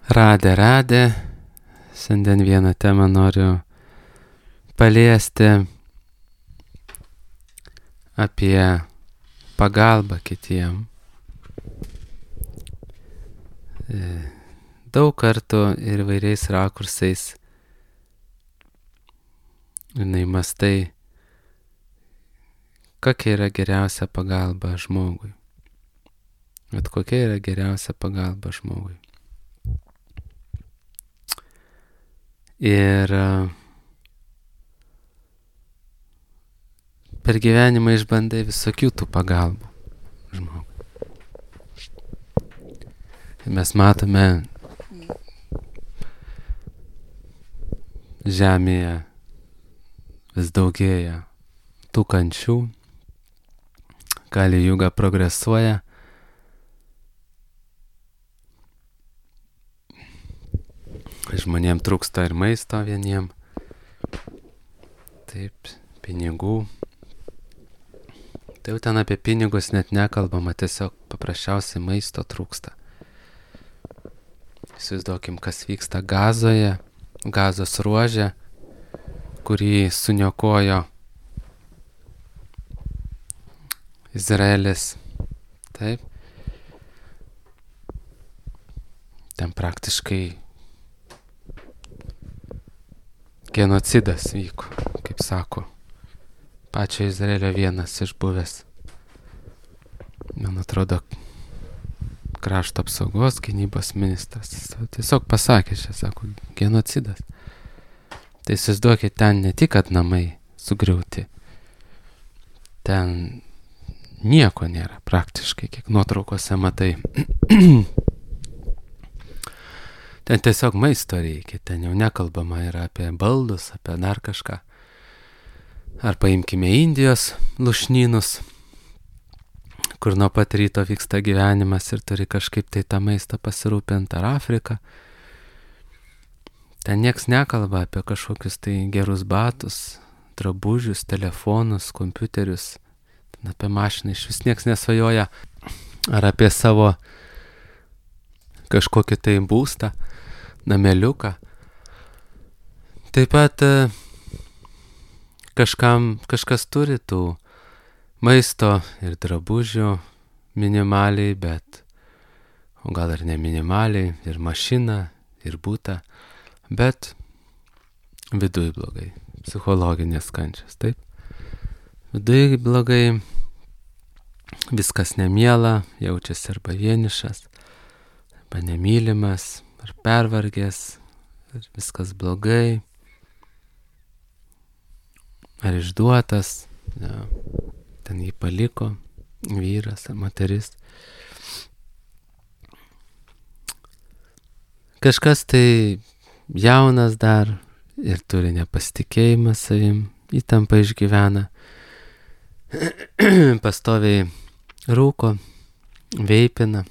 Radė. Šiandien vieną temą noriu paliesti apie pagalbą kitiem. Daug kartų ir įvairiais rakursais mastai, kokia yra geriausia pagalba žmogui. Bet kokia yra geriausia pagalba žmogui. Ir per gyvenimą išbandai visokių tų pagalbų žmogui. Ir mes matome žemėje vis daugėja tų kančių, Kali Juga progresuoja. Žmonėm trūksta ir maisto vieniem, taip, pinigų. Tai jau ten apie pinigus net nekalbama, tiesiog paprasčiausiai maisto trūksta. Įsivaizduokim, kas vyksta Gazoje, Gazos ruože, kurį suniokojo Izraelis. Taip. Ten praktiškai genocidas vyko, kaip sako pačio Izraelio vienas iš buvęs, man atrodo, krašto apsaugos gynybos ministras. Tiesiog pasakė, sako, genocidas. Tai įsivaizduokit, ten ne tik, kad namai sugriauti, ten nieko nėra praktiškai, kiek nuotraukose matai. Ten tiesiog maisto reikia, ten jau nekalbama yra apie baldus, apie dar kažką. Ar paimkime Indijos lušnynus, kur nuo pat ryto vyksta gyvenimas ir turi kažkaip tai tą maistą pasirūpinti, ar Afrika. Ten nieks nekalba apie kažkokius tai gerus batus, drabužius, telefonus, kompiuterius, ten apie mašiną iš vis nieks nesvajoja, ar apie savo kažkokį tai būstą, nameliuką. Taip pat kažkas turi tų maisto ir drabužių minimaliai, bet, o gal ir ne minimaliai, ir mašiną, ir butą, bet viduj blogai, psichologinės kančios, taip. Viduj blogai, viskas nemiela, jaučiasi arba vienišas, arba nemylimas, ar pervargęs, ar viskas blogai, ar išduotas, ja, ten jį paliko vyras ar moteris. Kažkas tai jaunas dar ir turi nepasitikėjimą savim, įtampą išgyvena, pastoviai rūko, veipina,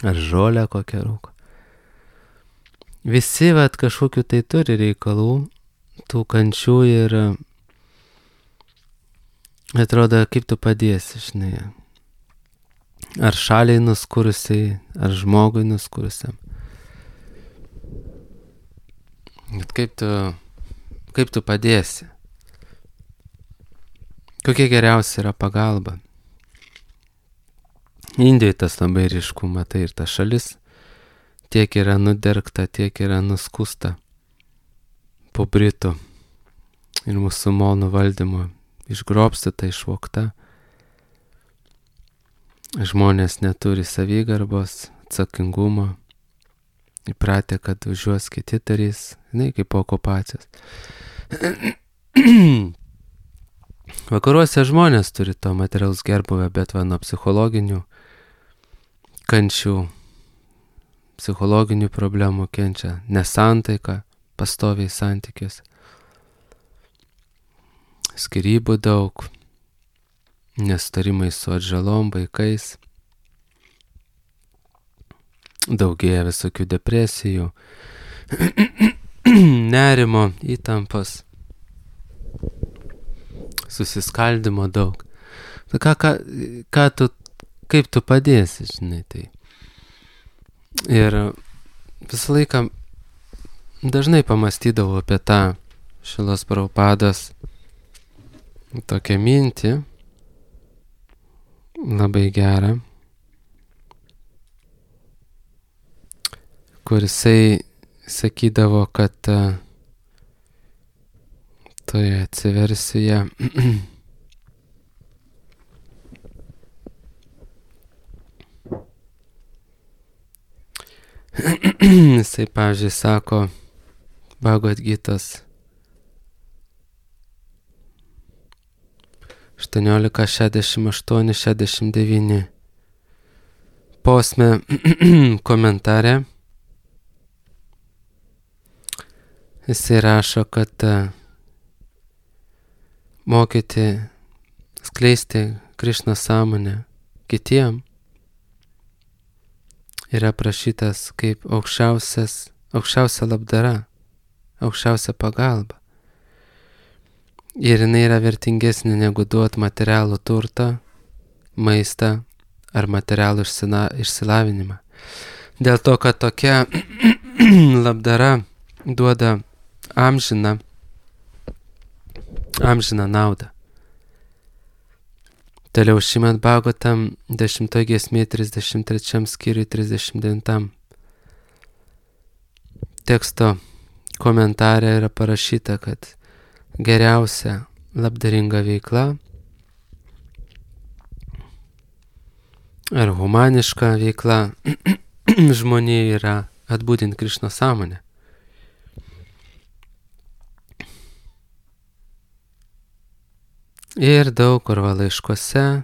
ar žolę kokią rūko. Visi kažkokiu tai turi reikalų, tų kančių ir atrodo, kaip tu padėsi, žinai. Ar šaliai nuskurusiai, ar žmogui nuskurusiam. Bet kaip tu padėsi? Kokia geriausia yra pagalba? Indijoje tas labai ryšku, matai, ir ta šalis tiek yra nudergta, tiek yra nuskusta po Britų ir musulmonų valdymo, išgrobstyta, išvogta. Žmonės neturi savigarbos, atsakingumo, įpratę, kad už juos kiti darys, kaip po okupacijos. Vakaruose žmonės turi to materialaus gerbuvio, bet nuo psichologinių kančių, psichologinių problemų kenčia nesantaika, pastoviai santykiuose. Skyrybų daug, nesutarimai su atžalom, vaikais, daugėja visokių depresijų, nerimo, įtampos, susiskaldimo daug. Kaip tu padėsi, žinai, tai. Ir visą laiką dažnai pamastydavau apie tą Šilos Prabhupados tokią mintį, labai gerą, kur jisai sakydavo, kad toje atsiversijoje jisai, pavyzdžiui, sako Bhagavad Gitos 18.68-69 posme komentare. Jisai rašo, kad mokyti, skleisti Krišnos sąmonę kitiem yra prašytas kaip aukščiausia labdara, aukščiausia pagalba. Ir jinai yra vertingesnė negu duot materialų turtą, maistą ar materialų išsilavinimą. Dėl to, kad tokia labdara duoda amžiną naudą. Toliau Šrimad Bhagavatam 10 giesmė 33 skyriui 39 teksto komentare yra parašyta, kad geriausia labdaringa veikla ar humaniška veikla žmonėje yra atbūdinti Krišnos sąmonę. Ir daug kur laiškuose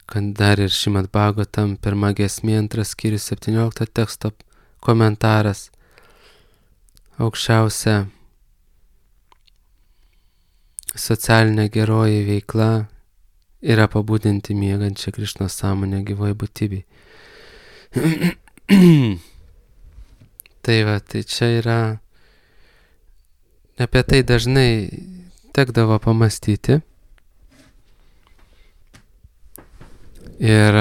kad dar ir Šrimad Bhagavatam 1 giesmė 2 skyrius 17 teksto komentaras aukščiausia socialinė geroji veikla yra pabudinti miegančią Krišnos sąmonę gyvoj būtybei. Tai va, tai čia yra, apie tai dažnai tekdavo pamastyti. Ir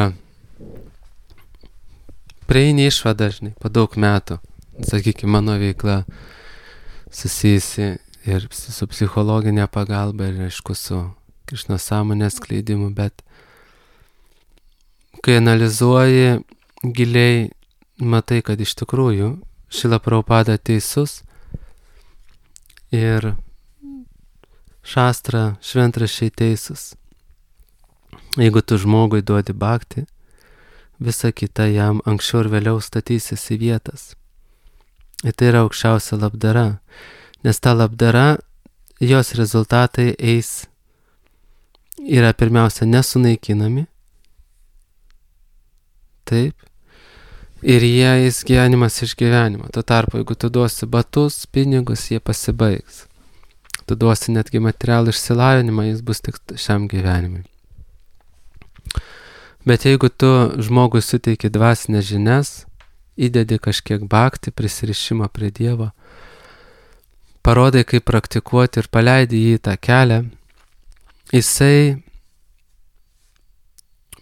prieini išvadą dažnai, po daug metų, sakykime, mano veikla susijusi ir su psichologinė pagalba ir aišku su Krišnos sąmonės skleidimu, bet kai analizuoji giliai, matai, kad iš tikrųjų Šrila Prabhupada teisus ir šastra šventraščiai teisus. Jeigu tu žmogui duodi bhakti, visa kita jam anksčiau ir vėliau statysis į vietas. Ir tai yra aukščiausia labdara, nes ta labdara, jos rezultatai yra pirmiausia nesunaikinami, taip, ir jie eis gyvenimas iš gyvenimo. Tuo tarpu, jeigu tu duosi batus, pinigus, jie pasibaigs. Tu duosi netgi materialų išsilavinimą, jis bus tik šiam gyvenimui. Bet jeigu tu žmogui suteiki dvasinės žinias, įdedi kažkiek bhakti, prisirišimą prie Dievo, parodai, kaip praktikuoti ir paleidi jį tą kelią, jisai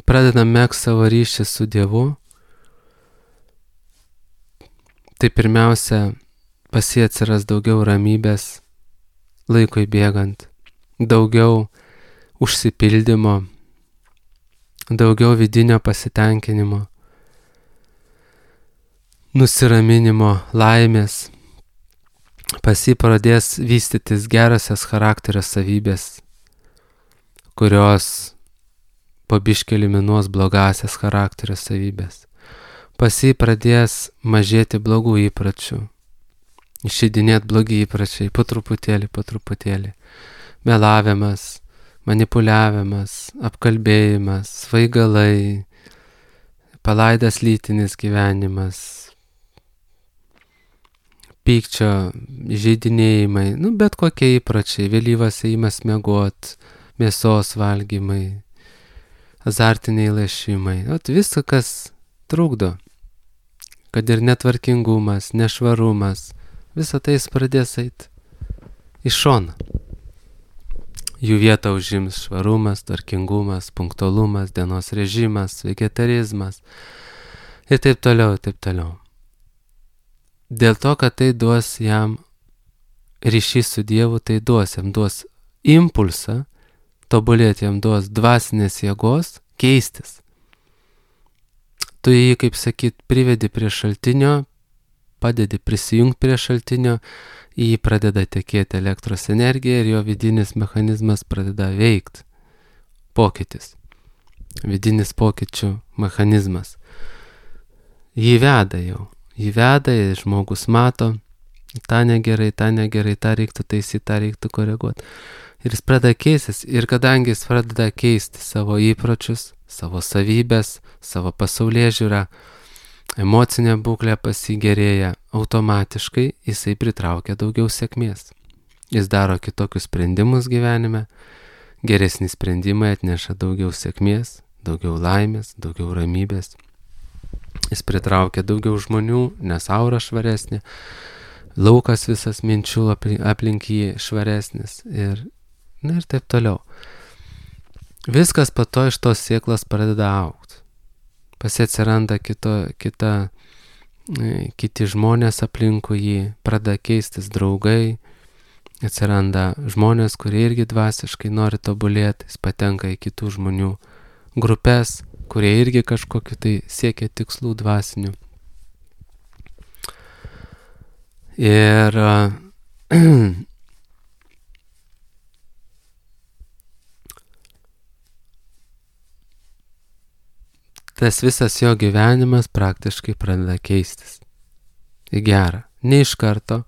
pradeda megzti savo ryšį su Dievu. Tai pirmiausia, pas jį atsiras daugiau ramybės laikui bėgant, daugiau užsipildymo, daugiau vidinio pasitenkinimo, nusiraminimo, laimės. Pas jį pradės vystytis gerosios charakterio savybės, kurios po biškį eliminuos blogasias charakterio savybės. Pas jį pradės mažėti blogų įpročių, išeidinėti blogi įpročiai, po truputėlį. Melavimas, manipuliavimas, apkalbėjimas, svaigalai, palaidas lytinis gyvenimas, pykčio, įžeidinėjimai, bet kokie įpročiai, vėlyvas ėjimas miegot, mėsos valgymai, azartiniai lošimai, viskas, kas trukdo, kad ir netvarkingumas, nešvarumas, visą tai jis pradės eiti iš šono. Jų vietą užims švarumas, tvarkingumas, punktualumas, dienos režimas, vegetarizmas ir taip toliau, ir taip toliau. Dėl to, kad tai duos jam ryšys su Dievu, tai jam duos impulsą, tobulėti jam duos dvasinės jėgos, keistis. Tu jį, kaip sakyt, privedi prie šaltinio, padedi prisijungti prie šaltinio, į jį pradeda tekėti elektros energija ir jo vidinis mechanizmas pradeda veikti. Pokytis. Vidinis pokyčių mechanizmas. Jį veda jau. Jį veda ir žmogus mato, tą negerai, tą reiktų taisyti, tą reiktų koreguoti. Ir jis pradeda keistis. Ir kadangi jis pradeda keisti savo įpročius, savo savybės, savo pasaulėžiūrą, emocinė būklė pasigerėja, automatiškai jisai pritraukia daugiau sėkmės. Jis daro kitokius sprendimus gyvenime, geresni sprendimai atneša daugiau sėkmės, daugiau laimės, daugiau ramybės. Jis pritraukia daugiau žmonių, nes aura švaresnė, laukas visas minčių aplink jį švaresnis ir taip toliau. Viskas po to iš tos sėklos pradeda augti. Atsiranda kiti žmonės aplinkui jį, pradeda keistis draugai, atsiranda žmonės, kurie irgi dvasiškai nori tobulėti, jis patenka į kitų žmonių grupės, kurie irgi kažkokiu tai siekia tikslų dvasinių. Ir tas visas jo gyvenimas praktiškai pradeda keistis. Į gerą. Ne iš karto,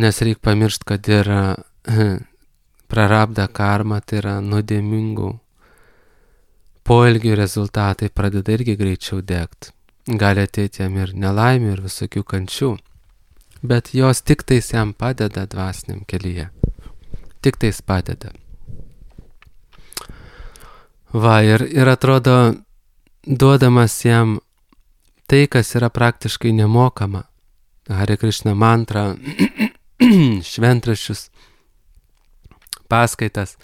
nes reikia pamiršti, kad yra prarabda karma, tai yra nuodėmingų poelgių rezultatai pradeda irgi greičiau degti. Gali ateiti jam ir nelaimė, ir visokių kančių, bet jos tik tais jam padeda dvasiniam kelyje. Tik tais padeda. Va, ir atrodo, duodamas jam tai, kas yra praktiškai nemokama. Hare Krishna mantra, šventraščius, paskaitas,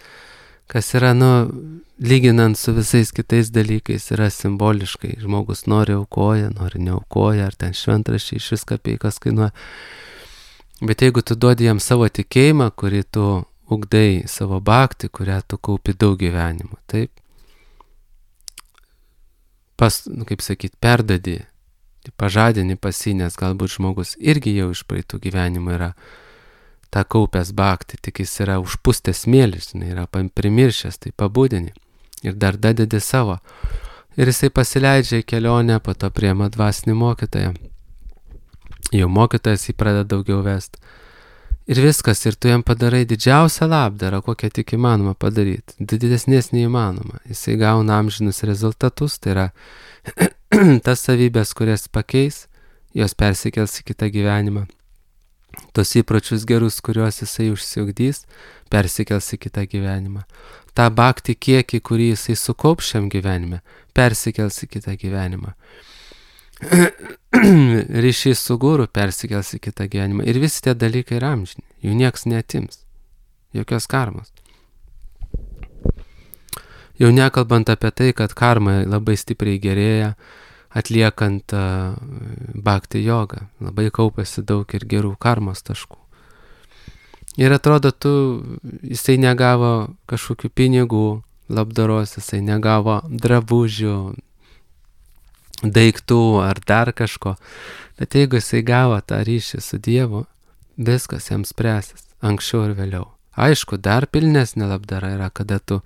kas yra, lyginant su visais kitais dalykais, yra simboliškai. Žmogus nori aukoja, nori neaukoja, ar ten šventraščiai iš viską kapeikas kainuoja. Bet jeigu tu duodi jam savo tikėjimą, kurį tu ugdai, savo bhaktį, kurią tu kaupi daug gyvenimų, taip, perdadi, pažadini pas jį, nes galbūt žmogus irgi jau iš praeitų gyvenimų yra tą kaupęs bhaktį, tik jis yra užpustęs smėlis, yra primiršęs, tai pabudini ir dar dadedi savo. Ir jisai pasileidžia į kelionę, po to priema dvasinį mokytoją. Jau mokytojas jį pradeda daugiau vesti. Ir viskas, ir tu jam padarai didžiausią labdarą, kokią tik įmanoma padaryti. Didesnės neįmanoma. Jisai gauna amžinus rezultatus, tai yra tas savybės, kurias pakeis, jos persikels į kitą gyvenimą. Tos įpročius gerus, kuriuos jisai užsiugdys, persikels į kitą gyvenimą. Ta bhaktį kiekį, kurį jisai sukaups šiam gyvenime, persikels į kitą gyvenimą. Ryšys su guru persikels į kitą gyvenimą. Ir visi tie dalykai yra amžini. Jų nieks neatims. Jokios karmos. Jau nekalbant apie tai, kad karma labai stipriai gerėja, atliekant bhakti jogą. Labai kaupėsi daug ir gerų karmos taškų. Ir atrodo, jisai negavo kažkokių pinigų labdaros, jisai negavo drabužių, daiktų ar dar kažko. Bet jeigu jisai gavo tą ryšį su Dievu, viskas jam spręsis, anksčiau ir vėliau. Aišku, dar pilnesnė labdara yra, kada tu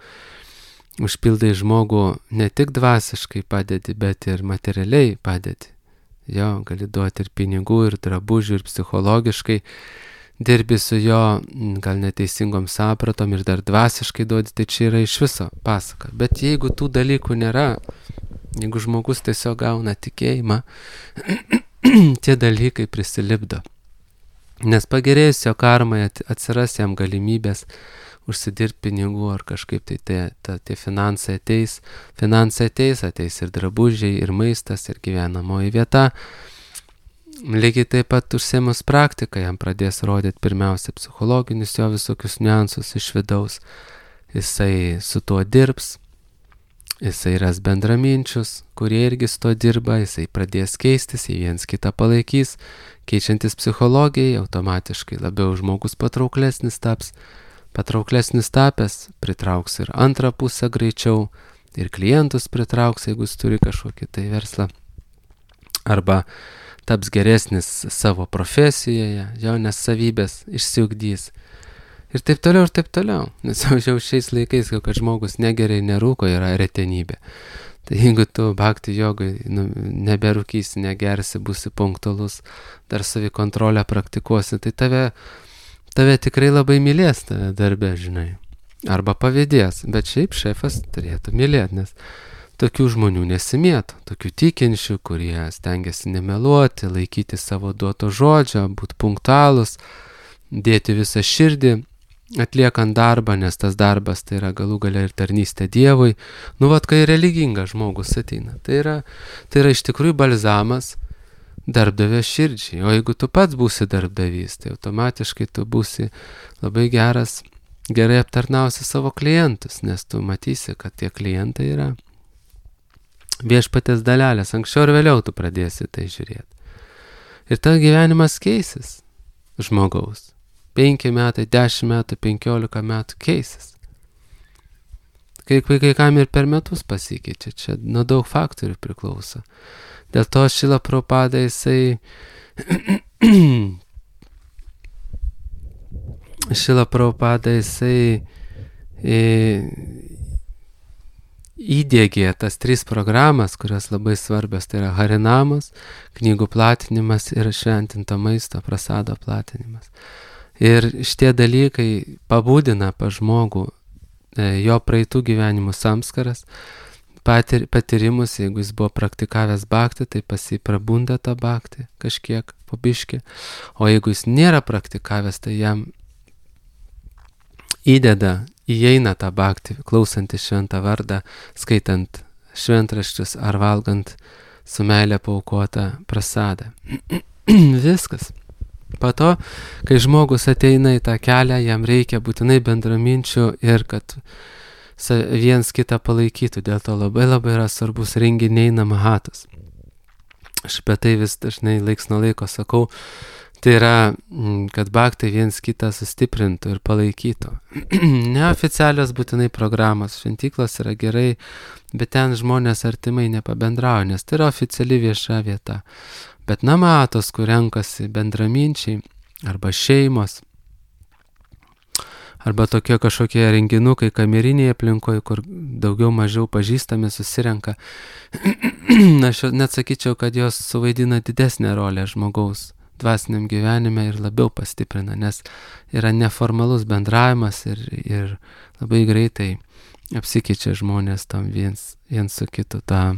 užpildai žmogų ne tik dvasiškai padedi, bet ir materialiai padedi. Jo, gali duoti ir pinigų, ir drabužių, ir psichologiškai dirbi su jo gal neteisingom sapratom ir dar dvasiškai duodi, tai čia yra iš viso pasaka. Bet jeigu tų dalykų nėra, jeigu žmogus tiesiog gauna tikėjimą, tie dalykai prisilipdo. Nes pagerėjus jo karmai atsiras jam galimybės užsidirbti pinigų ar kažkaip tie finansai ateis ir drabužiai, ir maistas, ir gyvenamoji vieta. Lygiai taip pat užsiemus praktiką, jam pradės rodyti pirmiausia psichologinius jo visokius niuansus iš vidaus. Jisai su tuo dirbs, jisai ras bendraminčius, kurie irgi su tuo dirba, jisai pradės keistis, jie viens kitą palaikys, keičiantis psichologijai, automatiškai labiau žmogus patrauklesnis taps, patrauklesnis tapęs, pritrauks ir antrą pusę greičiau, ir klientus pritrauks, jeigu jis turi kažkokį tai verslą, arba taps geresnis savo profesijoje, jo nes savybės išsiugdys. Ir taip toliau, nes jau šiais laikais, kad žmogus negeria ir nerūko, yra retenybė. Tai jeigu tu bhakti jogai neberūkysi, negersi, būsi punktualus, dar savikontrolę praktikuosi, tai tave tikrai labai mylės tave darbe, žinai. Arba pavydės, bet šiaip šefas turėtų mylėti, nes tokių žmonių nesimėto, tokių tikinčių, kurie stengiasi nemeluoti, laikyti savo duoto žodžio, būti punktualus, dėti visą širdį, atliekant darbą, nes tas darbas tai yra galų galia ir tarnystė Dievui. Kai religingas žmogus ateina, tai yra iš tikrųjų balzamas darbdavio širdžiai. O jeigu tu pats būsi darbdavys, tai automatiškai tu būsi labai gerai aptarnausi savo klientus, nes tu matysi, kad tie klientai yra viešpatės dalelės. Anksčiau ir vėliau tu pradėsi tai žiūrėti. Ir ta gyvenimas keisis žmogaus. 5 metai, 10 metų, 15 metų keisis. Kai kam ir per metus pasikeičia, čia nuo daug faktorių priklauso. Dėl to Šrila Prabhupada jisai įdiegė tas 3 programas, kurios labai svarbios, tai yra Harinamos, knygų platinimas ir šventinto maisto prasado platinimas. Ir šitie dalykai pabudina pa žmogų jo praeitų gyvenimų samskaras, patyrimus, jeigu jis buvo praktikavęs bhaktį, tai pas jį prabunda tą bhaktį kažkiek po biškį, o jeigu jis nėra praktikavęs, tai jam įeina tą bhaktį, klausantis šventą vardą, skaitant šventraščius ar valgant su meilė paaukotą prasadą. Viskas. Po to, kai žmogus ateina į tą kelią, jam reikia būtinai bendraminčių ir kad viens kitą palaikytų. Dėl to labai yra svarbus renginiai namahatos. Aš apie tai vis dažnai laiks nuo laiko sakau. Tai yra, kad bhaktai viens kitą sustiprintų ir palaikytų. Neoficialios būtinai programos, šventyklos yra gerai, bet ten žmonės artimai nepabendrauja, nes tai yra oficiali vieša vieta. Bet namatos, kur renkasi bendraminčiai, arba šeimos, arba tokie kažkokie renginukai kameriniai aplinkoje, kur daugiau mažiau pažįstami susirenka, aš net sakyčiau, kad jos suvaidina didesnę rolę žmogaus dvasiniam gyvenime ir labiau pastiprina, nes yra neformalus bendravimas ir labai greitai apsikeičia žmonės tam viens su kitu tą,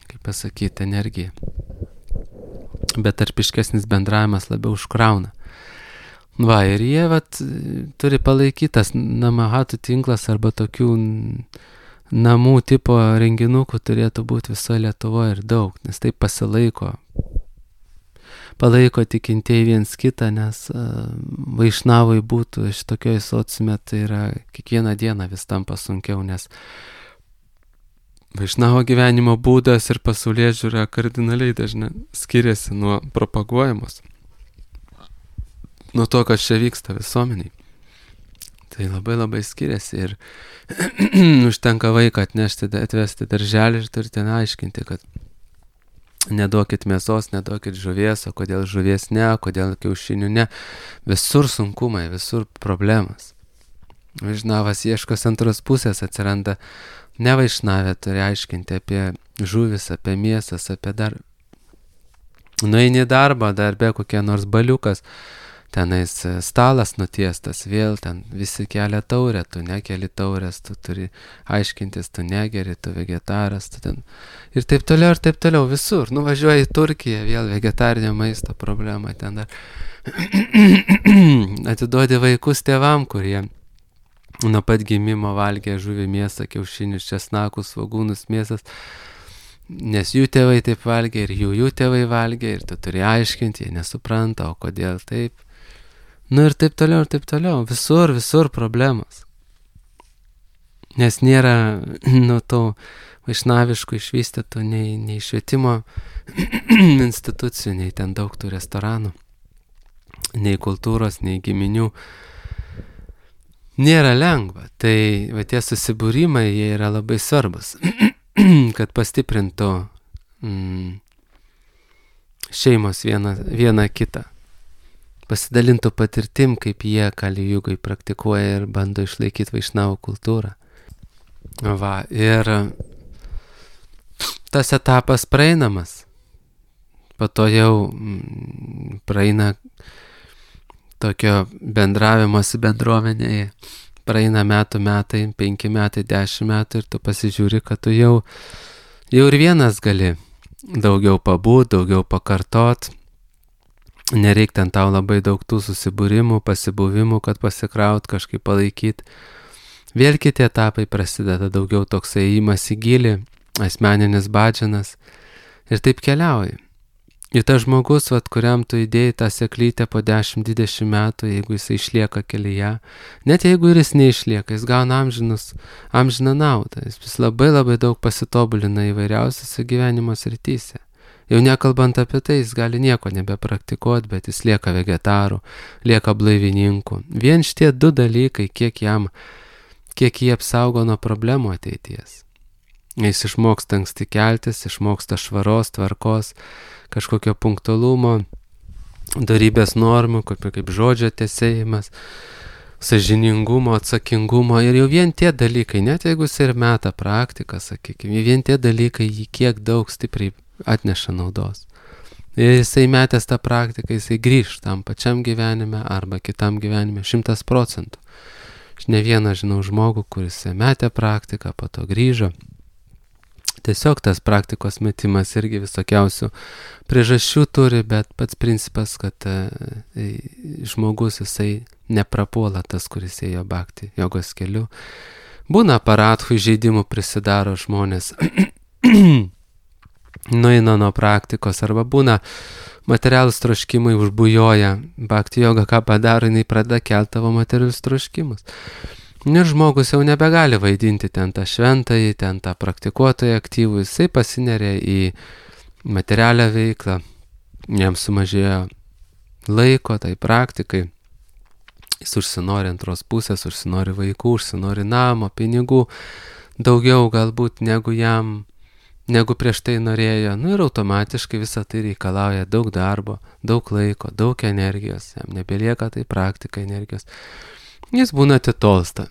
kaip pasakyti, energiją. Bet tarpiškesnis bendravimas labiau užkrauna. Ir jie turi palaikytas namahatų tinklas arba tokių namų tipo renginukų turėtų būti visoje Lietuvoje ir daug, nes tai palaiko tikintieji viens kitą, nes vaišnavai būtų šitokioj sociume, tai yra kiekvieną dieną vis tampa sunkiau, nes vaišnavo gyvenimo būdas ir pasaulėžiūra kardinaliai dažnai skiriasi nuo propaguojamos, nuo to, kas čia vyksta visuomeniai. Tai labai skiriasi ir užtenka vaiką atvesti darželį ir turite aiškinti, kad neduokit mėsos, neduokit žuvies, o kodėl žuvies ne, kodėl kiaušinių ne. Visur sunkumai, visur problemas. Vaišnavas ieškos antros pusės, atsiranda ne vaišnavė, turi aiškinti apie žuvis, apie mėsas, apie dar. Nueini darbą, darbe kokie nors baliukas, tenais stalas nutiestas, vėl ten visi kelia taurę, tu nekeli taurės, tu turi aiškintis, tu negeri, tu vegetaras, tu ten. Ir taip toliau, visur. Nuvažiuoji į Turkiją, vėl vegetarinio maisto problema ten dar. Atiduodi vaikus tėvam, kurie nuo pat gimimo valgė žuvį, mėsą, kiaušinius, česnakus, svogūnus, mėsas. nes jų tėvai taip valgė ir jų tėvai valgė ir tu turi aiškinti, jie nesupranta, o kodėl taip. Nu ir taip toliau, visur problemos. Nes nėra, tų vaišnaviškų išvystytų nei švietimo institucijų, nei ten daug tų restoranų, nei kultūros, nei giminių. Nėra lengva. Tai va tie susibūrimai, jie yra labai svarbus, kad pastiprintų šeimos viena kitą. Pasidalintų patirtim, kaip jie Kali Jugai praktikuoja ir bando išlaikyti vaišnavų kultūrą. Va, ir tas etapas praeinamas. Po to jau praeina tokio bendravimosi bendruomenėje. Praeina metai, 5 metai, 10 metų ir tu pasižiūri, kad tu jau ir vienas gali daugiau pabūt, daugiau pakartot. Nereik ten tau labai daug tų susibūrimų, pasibuvimų, kad pasikraut, kažkaip palaikyti. Vėl kiti etapai prasideda, daugiau toks ėjimas į gilį, asmeninis badžianas ir taip keliauji. Ir tas žmogus, kuriam tu įdėjai tą seklytę po 10-20 metų, jeigu jis išlieka kelyje, net jeigu ir jis neišlieka, jis gauna amžiną naudą, jis labai daug pasitobulina įvairiausiose gyvenimo srityse. Jau nekalbant apie tai, jis gali nieko nebepraktikuoti, bet jis lieka vegetaru, lieka blaivininku. Vien šitie 2 dalykai, kiek jie apsaugo nuo problemų ateities. Jis išmoksta anksti keltis, išmoksta švaros, tvarkos, kažkokio punktualumo, darybės normų, kaip žodžio tesėjimas, sąžiningumo, atsakingumo. Ir jau vien tie dalykai, net jeigu jis ir meta praktiką, sakykime, vien tie dalykai jį kiek daug stipriai atneša naudos. Ir jisai metęs tą praktiką, jisai grįž tam pačiam gyvenime arba kitam gyvenime 100%. Aš ne vieną žinau žmogų, kuris metė praktiką, po to grįžo. Tiesiog tas praktikos metimas irgi visokiausių priežasčių turi, bet pats principas, kad žmogus jisai neprapuola tas, kuris ėjo bhakti jogos keliu. Būna aparatхų žaidimų, prisidaro žmonės, nueina nuo praktikos, arba būna materialūs troškimai užbujoja. Bhakti joga ką padaro, jinai pradeda kelti tavo materialius troškimus. Ir žmogus jau nebegali vaidinti ten tą šventąjį, ten tą praktikuotoją aktyvų, jisai pasineria į materialią veiklą, jam sumažėjo laiko tai praktikai, jis užsinori antros pusės, užsinori vaikų, užsinori namo, pinigų, daugiau galbūt negu prieš tai norėjo. Ir automatiškai visą tai reikalauja daug darbo, daug laiko, daug energijos, jam nebelieka tai praktika energijos. Jis būna atitolsta,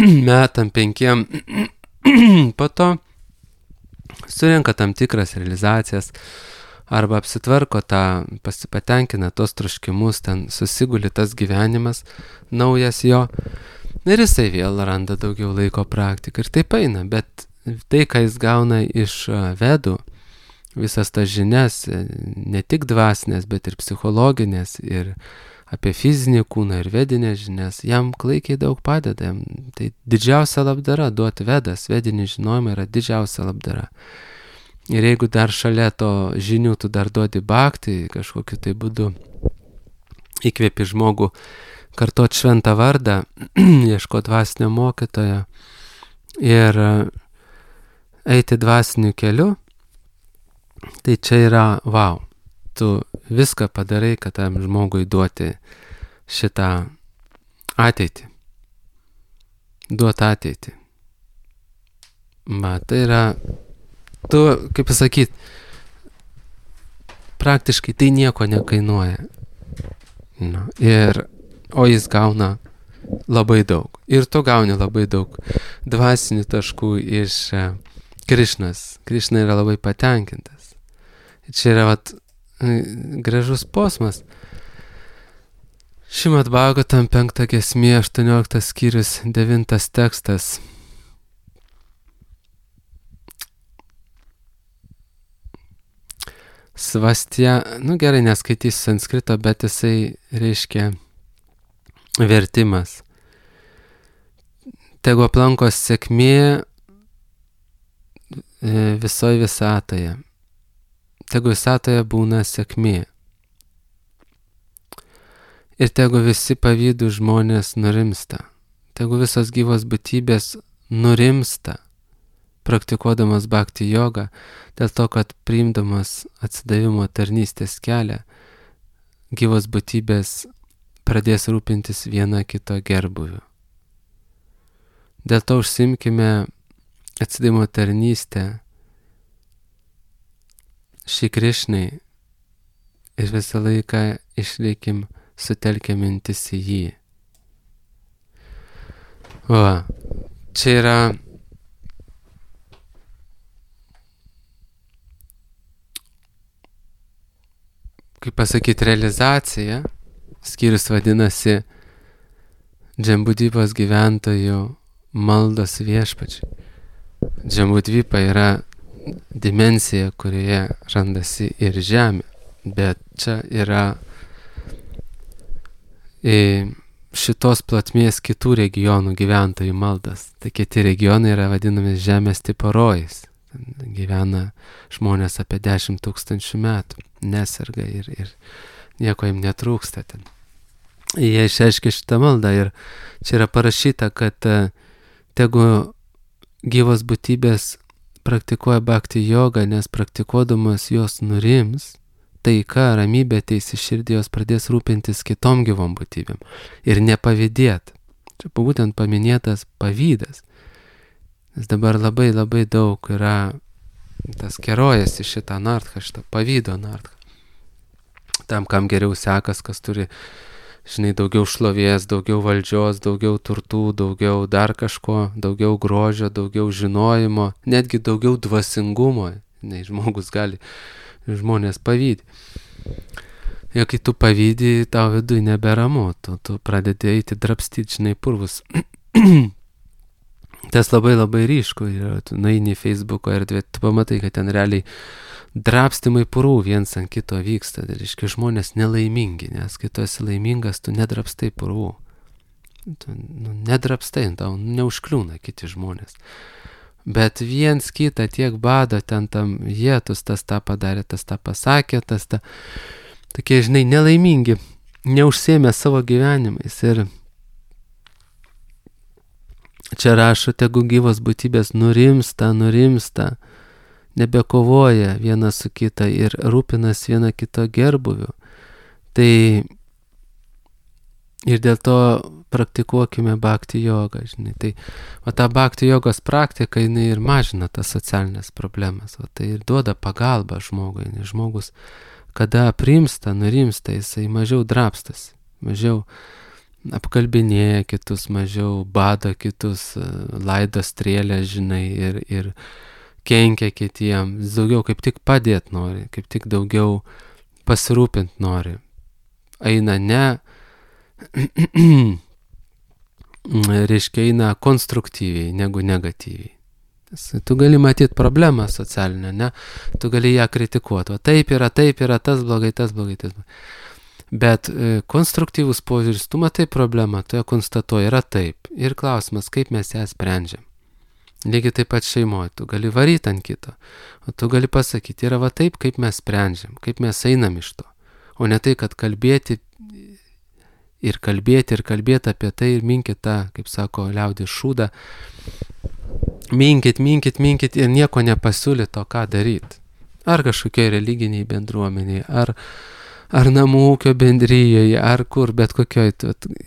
metam 5, po to surenka tam tikras realizacijas arba apsitvarko patenkina tos troškimus, ten susiguli tas gyvenimas naujas jo ir jisai vėl randa daugiau laiko praktiką ir taip eina, bet tai, ką jis gauna iš vedų, visas tas žinias, ne tik dvasinės, bet ir psichologinės ir apie fizinį kūną ir vedinės žinias, jam klaikiai daug padeda. Tai didžiausia labdara, duoti vedas, vedinį žinojimą yra didžiausia labdara. Ir jeigu dar šalia to žinių tu dar duodi bhakti, kažkokiu tai būdu įkvėpi žmogų kartot šventą vardą, ieško dvasinio mokytojo ir eiti dvasiniu keliu, tai čia yra wow. Tu viską padarai, kad tam žmogui duoti šitą ateitį. Duoti ateitį. Tai yra, tu, kaip pasakyti, praktiškai tai nieko nekainuoja. O jis gauna labai daug. Ir tu gauni labai daug dvasinių taškų iš Krišnos. Krišna yra labai patenkintas. Čia yra gražus posmas. Šrimad Bhagavatam 5 giesmė, 18 skyrius, 9 tekstas. Svastya, gerai, neskaitysiu sanskrito, bet jisai reiškia vertimas. Tegu aplankos sėkmė visoje visatoje. Tegu visatoje būna sėkmė. Ir tegu visi pavydų žmonės nurimsta. Tegu visos gyvos būtybės nurimsta, praktikuodamas bhakti jogą, dėl to, kad priimdamas atsidavimo tarnystės kelią, gyvos būtybės pradės rūpintis viena kito gerbuviu. Dėl to užsimkime atsidavimo tarnystę Šri Krišnai ir visą laiką išlikim sutelkę mintis į jį. Va, čia yra kaip pasakyti realizacija, skyrius vadinasi Džambudvipos gyventojų maldos viešpačiui. Džambudvipa yra dimensija, kurioje randasi ir žemė, bet čia yra šitos platmės kitų regionų gyventojų maldas. Tai kiti regionai yra vadinami žemės tipo rojais. Gyvena žmonės apie 10 000 metų, neserga ir nieko jiems netrūksta ten. Jie išreiškia šitą maldą ir čia yra parašyta, kad tegu gyvos būtybės praktikuoja bhakti jogą, nes praktikuodamas jos nurims, taika, ramybė ateis į širdį, jos pradės rūpintis kitom gyvom būtybėm ir nepavydėt. Čia būtent paminėtas pavydas. Nes dabar labai daug yra tas kerojasi šitą nartką, šitą pavydo nartką. Tam, kam geriau sekas, kas turi, daugiau šlovės, daugiau valdžios, daugiau turtų, daugiau dar kažko, daugiau grožio, daugiau žinojimo, netgi daugiau dvasingumo. Žmogus gali, žmonės pavydė. Ir kai tu pavydį, tau vidui neberamu, tu pradedi eiti drabstyti, purvus. Tas labai ryšku, tu nueini į Facebooko erdvę, tu pamatai, kad ten realiai drabstymai purvų viens ant kito vyksta. Tai reiškia, žmonės nelaimingi, nes kai tu esi laimingas, tu nedrabstai purvų. Tu nedrabstai, tau neužkliūna kiti žmonės. Bet viens kitą tiek bado, ten tam jėtus, tas tą padarė, tas tą pasakė, tas tą. Tokie, nelaimingi, neužsiėmė savo gyvenimais. Ir čia rašo, tegu gyvos būtybės nurimsta, nebekovoja viena su kita ir rūpinas viena kito gerbuviu. Tai ir dėl to praktikuokime bhakti jogą, Tai ta bhakti jogos praktika, jinai ir mažina tas socialinės problemas. Tai ir duoda pagalbą žmogui. Žmogus, kada aprimsta, nurimsta, jisai mažiau drabstas, mažiau apkalbinėja kitus, mažiau bado kitus, laido strėlę, ir kenkia kitiem. Daugiau kaip tik padėt nori, kaip tik daugiau pasirūpint nori. Eina eina konstruktyviai, negu negatyviai. Tu gali matyti problemą socialinę, tu gali ją kritikuoti. O taip yra, tas blogai. Bet konstruktyvus požiūris, tu matai problemą, tu ją konstatuoji, yra taip. Ir klausimas, kaip mes ją sprendžiam. Lygiai taip pat šeimoje, tu gali varyti ant kito, o tu gali pasakyti, yra va taip, kaip mes sprendžiam, kaip mes einam iš to. O ne tai, kad kalbėti apie tai ir minkit tą, kaip sako liaudis, šūdą. Minkit ir nieko nepasiūlyt to, ką daryti. Ar kažkokiai religiniai bendruomeniai, ar namų ūkio bendryjoje, ar kur, bet kokioj.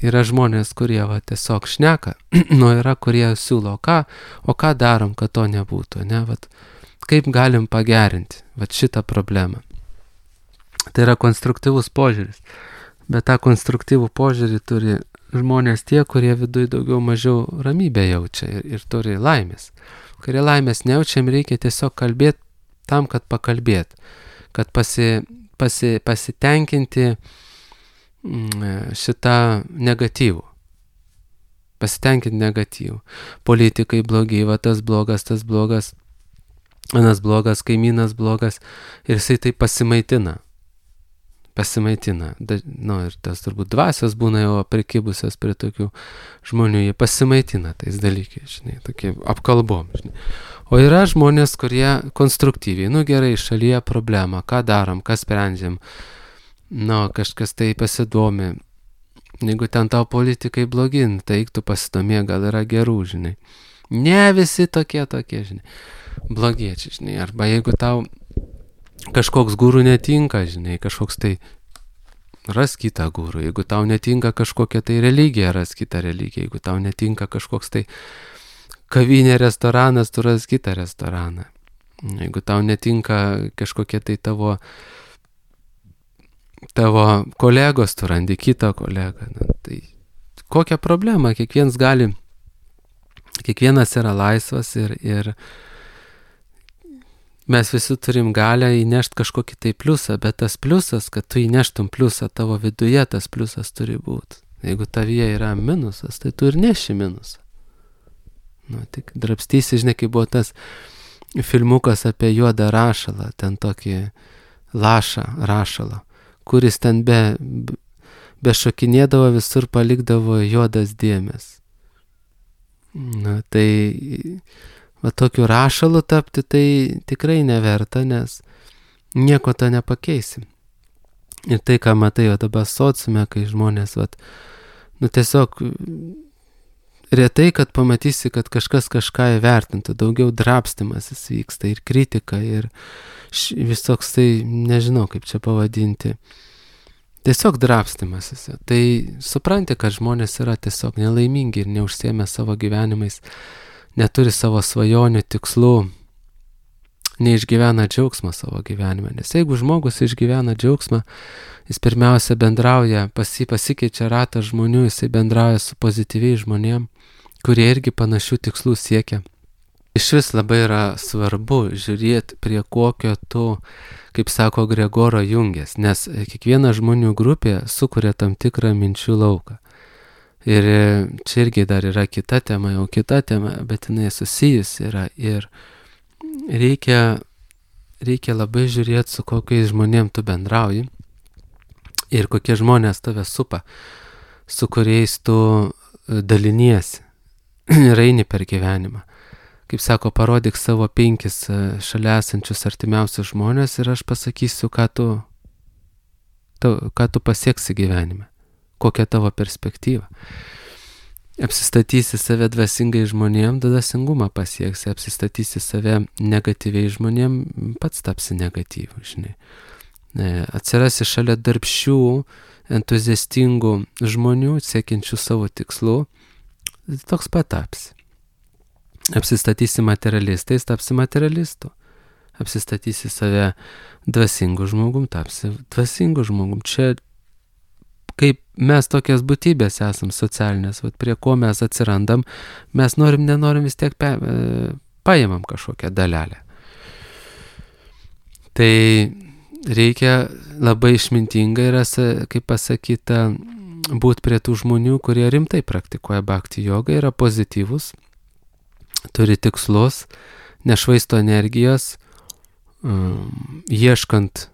Yra žmonės, kurie tiesiog šneka, yra kurie siūlo, o ką darom, kad to nebūtų, kaip galim pagerinti šitą problemą. Tai yra konstruktyvus požiūris, bet tą konstruktyvų požiūrį turi žmonės tie, kurie viduj daugiau mažiau ramybę jaučia ir turi laimės. Kurie laimės nejaučiam, reikia tiesiog kalbėti tam, kad pakalbėt, kad pasitenkinti šitą negatyvų. Pasitenkinti negatyvų. Politikai blogi, tas blogas, anas blogas, kaimynas blogas, ir jisai tai pasimaitina. Ir tas turbūt dvasios būna jau prikibusios prie tokių žmonių, jie pasimaitina tais dalykais, tokie apkalbom. O yra žmonės, kurie konstruktyviai, gerai, šalyje problema, ką darom, ką sprendžiam, kažkas tai pasidomi. Jeigu ten tau politikai blogin, tai eik tu pasidomė, gal yra gerų, žinai. Ne visi tokie, žinai, blogiečiai, žinai. Arba jeigu tau kažkoks gūrų netinka, žinai, kažkoks tai ras kitą gūrų. Jeigu tau netinka kažkokia tai religija, ras kitą religiją. Jeigu tau netinka kažkoks tai kavinė, restoranas, tu ras kitą restoraną. Jeigu tau netinka kažkokie tai tavo kolegos, tu randi kitą kolegą. Tai kokia problema? Kiekvienas yra laisvas ir mes visi turim galę įnešti kažkokį tai pliusą, bet tas pliusas, kad tu įneštum pliusą tavo viduje, tas pliusas turi būti. Jeigu tavyje yra minusas, tai tu ir neši minusą. Tik drabstysi, žinai, kaip buvo tas filmukas apie juodą rašalą, ten tokį rašalą, kuris ten bešokinėdavo visur palikdavo juodas dėmes. Tai tokiu rašalu tapti tai tikrai neverta, nes nieko to nepakeisim. Ir tai, ką matai dabar sociume, kai žmonės, tiesiog retai, kad pamatysi, kad kažkas kažką įvertintų, daugiau drabstymasis vyksta ir kritika ir visoks tai, nežinau kaip čia pavadinti, tiesiog drabstymasis. Tai supranti, kad žmonės yra tiesiog nelaimingi ir neužsiėmę savo gyvenimais, neturi savo svajonių, tikslų, neišgyvena džiaugsmą savo gyvenime. Nes jeigu žmogus išgyvena džiaugsmą, jis pirmiausia bendrauja, pasikeičia ratą žmonių, jisai bendrauja su pozityviais žmonėm, kurie irgi panašių tikslų siekia. Iš vis labai yra svarbu žiūrėti, prie kokio tu, kaip sako Gregoro, jungies, nes kiekviena žmonių grupė sukuria tam tikrą minčių lauką. Ir čia irgi dar yra kita tema, bet jinai susijusi yra ir reikia labai žiūrėti, su kokiais žmonėm tu bendrauji ir kokie žmonės tave supa, su kuriais tu daliniesi ir eini per gyvenimą. Kaip sako, parodyk savo 5 šalia esančius artimiausius žmonės ir aš pasakysiu, ką tu pasieksi gyvenime, kokia tavo perspektyva. Apsistatysi save dvasingai žmonėm, dvasingumą pasieksi, apsistatysi save negatyviai žmonėm, pats tapsi negatyvų, žinai. Atsirasi šalia darbščių, entuziastingų žmonių, siekiančių savo tikslų, toks pat tapsi. Apsistatysi materialistais, tapsi materialistu. Apsistatysi save dvasingų žmogum, tapsi dvasingų žmogum. Čia kaip mes tokias būtybės esam socialinės, prie ko mes atsirandam, mes nenorim vis tiek paimam kažkokią dalelę. Tai reikia labai išmintingai, kaip pasakyta, būti prie tų žmonių, kurie rimtai praktikuoja bhakti jogą, yra pozityvus, turi tikslus, nešvaisto energijos, ieškant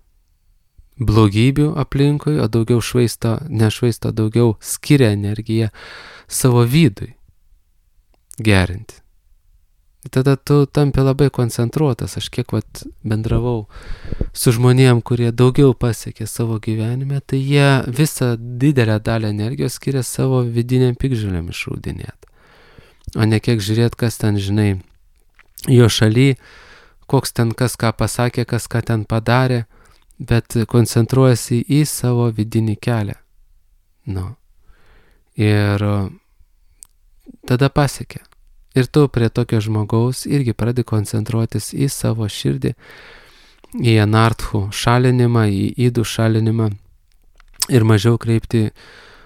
blogybių aplinkui, o daugiau nešvaisto, daugiau skiria energiją savo vidui gerinti. Tada tu tampi labai koncentruotas. Aš kiek bendravau su žmonėm, kurie daugiau pasiekė savo gyvenime, tai jie visą didelę dalį energijos skiria savo vidiniam piktžolėm išraudinėti. O ne kiek žiūrėti, kas ten, žinai, jo šaly, koks ten kas ką pasakė, kas ką ten padarė, bet koncentruojasi į savo vidinį kelią. Ir tada pasiekia. Ir tu prie tokio žmogaus irgi pradedi koncentruotis į savo širdį, į anarthų šalinimą, į ydų šalinimą ir mažiau kreipti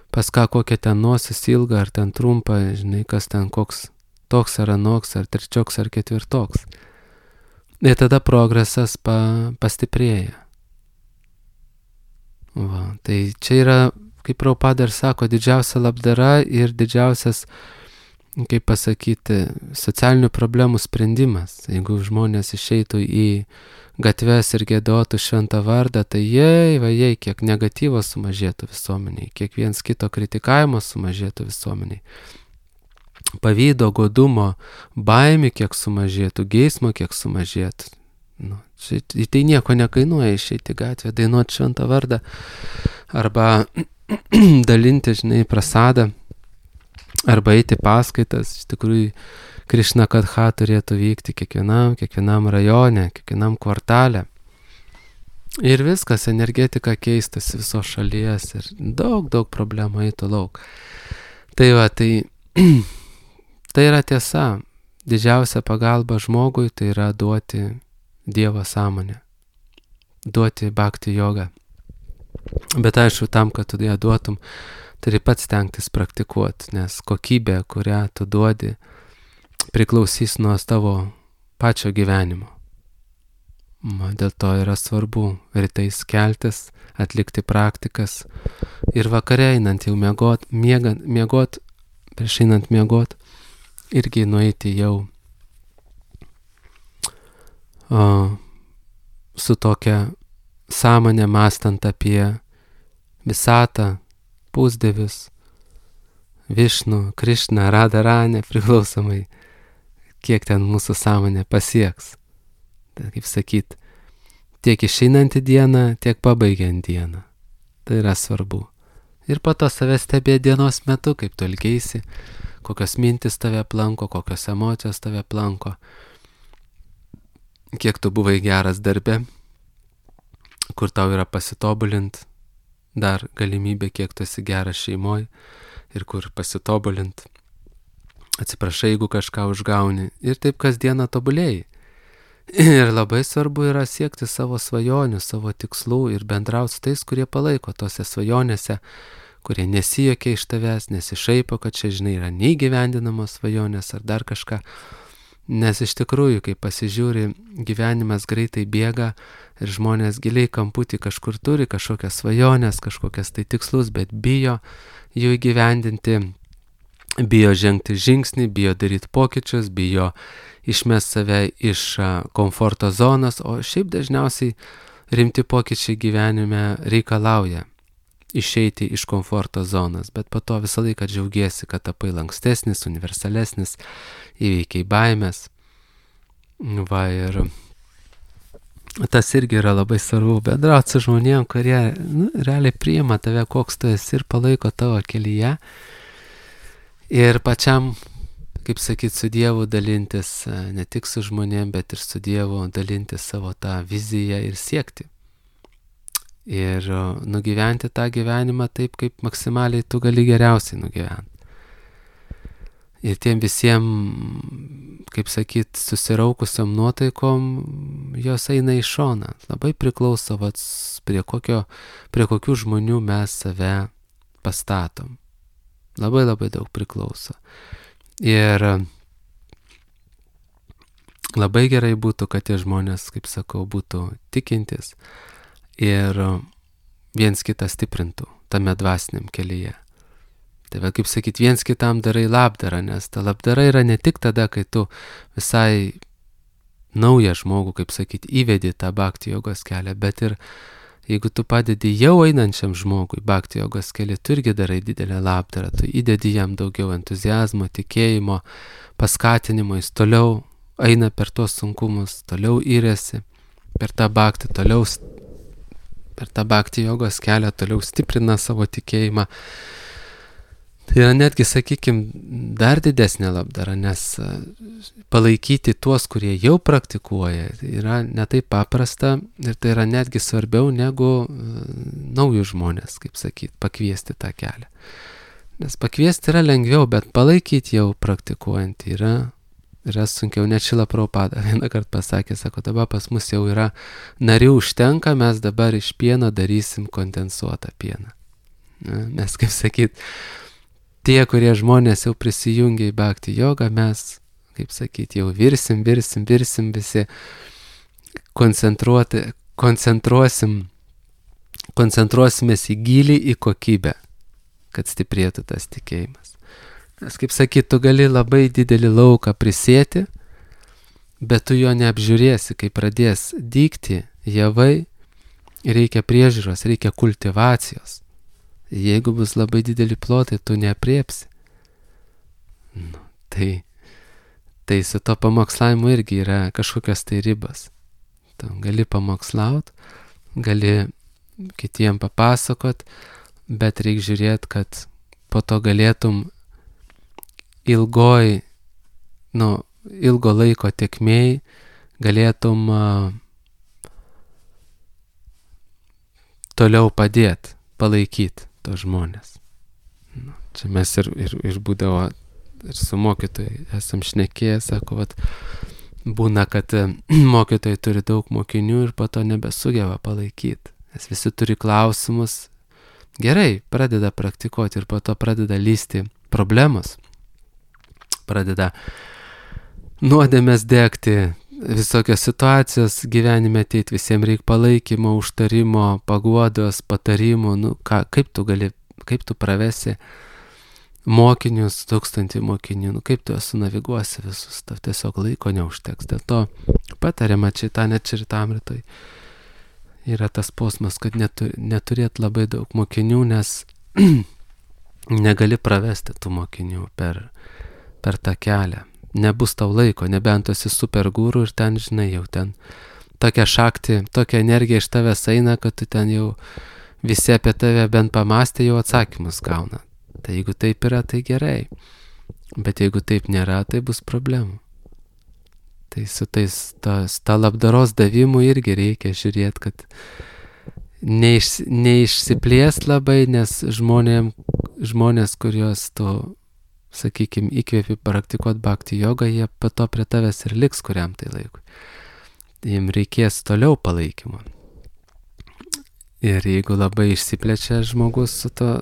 pas ką kokią ten nosis ilgą ar ten trumpą, žinai, kas ten koks toks ar anoks, ar trečioks ar ketvirtoks. Ir tada progresas pastiprėja. Tai čia yra, kaip Prabhupada ir sako, didžiausia labdara ir didžiausias, kaip pasakyti, socialinių problemų sprendimas. Jeigu žmonės išeitų į gatves ir giedotų šventą vardą, tai jei, kiek negatyvos sumažėtų visuomeniai, kiek viens kito kritikavimo sumažėtų visuomeniai. pavydo, godumo, baimių kiek sumažėtų, geismo kiek sumažėtų. Tai nieko nekainuoja išeiti į gatvę, dainuoti šventą vardą arba dalinti, prasadą arba eiti paskaitas. Iš tikrųjų, Krišna Katha turėtų vykti kiekvienam rajone, kiekvienam kvartale. Ir viskas, energetika keistas visos šalies ir daug problemų eitų lauk. Tai yra tiesa. Didžiausia pagalba žmogui tai yra duoti Dievo sąmonę, duoti bhakti jogą. Bet aišku, tam, kad tu ją duotum, turi pats stengtis praktikuoti, nes kokybė, kurią tu duodi, priklausys nuo tavo pačio gyvenimo. Dėl to yra svarbu rytais keltis, atlikti praktikas ir vakare einant jau miegot, prieš einant miegot, irgi nueiti jau su tokia sąmonė mąstant apie visatą, pusdievius, Višnu, Krišną, Radharani, priklausomai, kiek ten mūsų sąmonė pasieks. Tai, kaip sakyt, tiek išeinantį dieną, tiek pabaigiant dieną. Tai yra svarbu. Ir po to save stebėti dienos metu, kaip tu elgeisi, kokios mintis tave aplanko, kokios emocijos tave aplanko, kiek tu buvai geras darbe, kur tau yra pasitobulint, dar galimybė, kiek tu esi geras šeimoje ir kur pasitobulint. Atsiprašai, jeigu kažką užgauni ir taip kasdieną tobulėjai. Ir labai svarbu yra siekti savo svajonių, savo tikslų ir bendrauti su tais, kurie palaiko tose svajonėse, kurie nesijokia iš tavęs, nesišaipo, kad čia, yra neįgyvendinamos svajonės ar dar kažką. Nes iš tikrųjų, kai pasižiūri, gyvenimas greitai bėga ir žmonės giliai kamputį kažkur turi kažkokias svajonės, kažkokias tai tikslus, bet bijo jų įgyvendinti, bijo žengti žingsnį, bijo daryti pokyčius, bijo išmest save iš komforto zonos, o šiaip dažniausiai rimti pokyčiai gyvenime reikalauja išeiti iš komforto zonos, bet po to visą laiką džiaugiesi, kad tapai lankstesnis, universalesnis, įveikiai baimės. Ir tas irgi yra labai svarbu, bendrauti su žmonėm, kurie realiai priima tave, koks tu esi ir palaiko tavo kelyje. Ir pačiam, kaip sakyt, su Dievu dalintis, ne tik su žmonėm, bet ir su Dievu dalintis savo tą viziją ir siekti. Ir nugyventi tą gyvenimą taip, kaip maksimaliai tu gali geriausiai nugyventi. Ir tiem visiems, kaip sakyt, susiraukusiam nuotaikom, jos eina į šoną. Labai priklauso, prie kokių žmonių mes save pastatom. Labai daug priklauso. Ir labai gerai būtų, kad tie žmonės, kaip sakau, būtų tikintis ir viens kitą stiprintų tame dvasiniam kelyje. Tai kaip sakyt, viens kitam darai labdarą, nes ta labdara yra ne tik tada, kai tu visai naują žmogų, kaip sakyt, įvedi tą bhakti jogos kelią, bet ir jeigu tu padedi jau einančiam žmogui bhakti jogos kelią, tu irgi darai didelę labdarą, tu įdedi jam daugiau entuziazmo, tikėjimo, paskatinimo, jis toliau eina per tuos sunkumus, toliau įrėsi per tą bhakti jogos kelią, toliau stiprina savo tikėjimą. Tai yra netgi, sakykime, dar didesnė labdara, nes palaikyti tuos, kurie jau praktikuoja, yra netaip paprasta ir tai yra netgi svarbiau negu naujus žmonės, kaip sakyt, pakviesti tą kelią. Nes pakviesti yra lengviau, bet palaikyti jau praktikuojant yra sunkiau. Net Šrila Prabhupada vieną kartą pasakė, sako, dabar pas mus jau yra narių užtenka, mes dabar iš pieno darysim kondensuotą pieną. Mes, kaip sakyt, tie, kurie žmonės jau prisijungia į bhakti jogą, mes, kaip sakyt, jau virsim visi, koncentruosimės į gylį, į kokybę, kad stiprėtų tas tikėjimas. Nes, kaip sakyt, tu gali labai didelį lauką prisėti, bet tu jo neapžiūrėsi, kai pradės dygti javai, reikia priežiūros, reikia kultivacijos. Jeigu bus labai dideli plotai, tu neapriepsi. Tai su to pamokslavimu irgi yra kažkokios tai ribos. Tu gali pamokslaut, gali kitiem papasakot, bet reikia žiūrėti, kad po to galėtum ilgo laiko tėkmėj galėtum toliau padėti, palaikyti tos žmonės. Čia mes ir būdavo, ir su mokytojai esam šnekėję, sako, vat, būna, kad mokytojai turi daug mokinių ir po to nebesugeba palaikyti. Nes visi turi klausimus. Gerai, pradeda praktikuoti ir po to pradeda lysti problemos. Pradeda nuodėmės degti, visokios situacijos gyvenime ateiti, visiems reikia palaikymo, užtarimo, paguodos, patarimų. Kaip tu pravesi mokinius, 1000 mokinių, kaip tu sunaviguosi visus, tau tiesiog laiko neužteks. Dėl to patariama Čaritamritoj yra tas posmas, kad neturėt labai daug mokinių, nes negali pravesti tų mokinių per tą kelią. Nebus tau laiko, nebent esi super guru ir ten, žinai, jau ten tokia šakti, tokia energija iš tavęs eina, kad tu ten jau visi apie tave bent pamastė, jau atsakymus gauna. Tai jeigu taip yra, tai gerai. Bet jeigu taip nėra, tai bus problemų. Tai su ta labdaros davimu irgi reikia žiūrėti, kad neišsiplės labai, nes žmonės, kuriuos tu, sakykime, įkvėpi praktikuoti bhakti jogą, jie po to prie tavęs ir liks kuriam tai laikui. Jiems reikės toliau palaikymo. Ir jeigu labai išsiplečia žmogus su to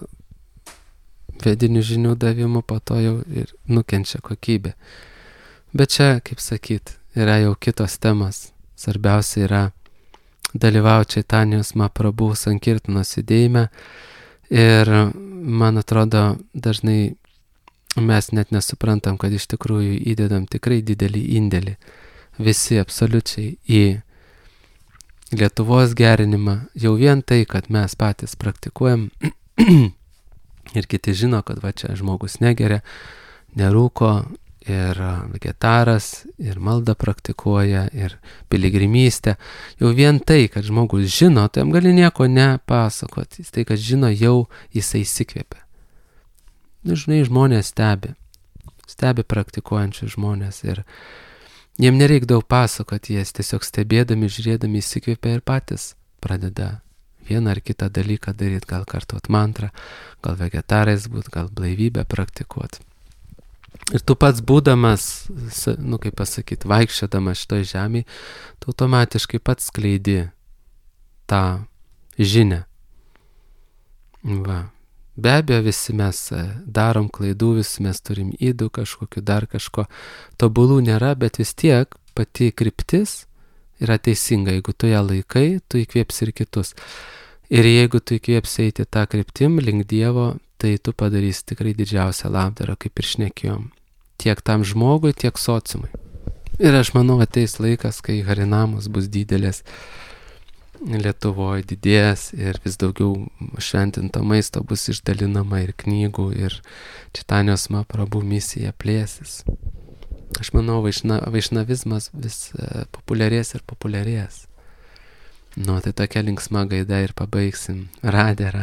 vedinių žinių davimu, po to jau ir nukenčia kokybė. Bet čia, kaip sakyt, yra jau kitos temas. Svarbiausia yra dalyvauti Čaitanijos Mahaprabhu sankirtanos judėjime. Ir man atrodo, dažnai mes net nesuprantam, kad iš tikrųjų įdedam tikrai didelį indėlį. Visi absoliučiai į Lietuvos gerinimą. Jau vien tai, kad mes patys praktikuojam ir kiti žino, kad va čia žmogus negeria, nerūko ir vegetaras, ir maldą praktikuoja, ir piligrimystę. Jau vien tai, kad žmogus žino, tai jam gali nieko nepasakoti. Tai, kad žino, jau jisai įsikvėpia. Žinai, žmonės stebi praktikuojančius žmonės ir jiem nereik daug pasakoti, jie tiesiog stebėdami, žiūrėdami įsikvėpia ir patys pradeda vieną ar kitą dalyką daryti, gal kartuot mantrą, gal vegetarais būt, gal blaivybę praktikuoti. Ir tu pats būdamas, kaip pasakyti, vaikščiodamas šitoj žemėje, tu automatiškai pats skleidi tą žinią. Va. Be abejo, visi mes darom klaidų, visi mes turim ydų kažkokiu, dar kažko. Tobulų nėra, bet vis tiek pati kryptis yra teisinga. Jeigu tu ją laikai, tu įkvėpsi ir kitus. Ir jeigu tu įkvėpsi eiti tą kryptim link Dievo, tai tu padarysi tikrai didžiausią labdarą, kaip ir šnekėjom. Tiek tam žmogui, tiek sociumui. Ir aš manau, ateis laikas, kai harinamos bus didelės. Lietuvoje didės ir vis daugiau šventinto maisto bus išdalinama ir knygų, ir Čaitanijos Mahaprabhu misija plėsis. Aš manau, vaišnavizmas vis populiarės ir populiarės. Tai tokia linksma gaida ir pabaigsim. Radė.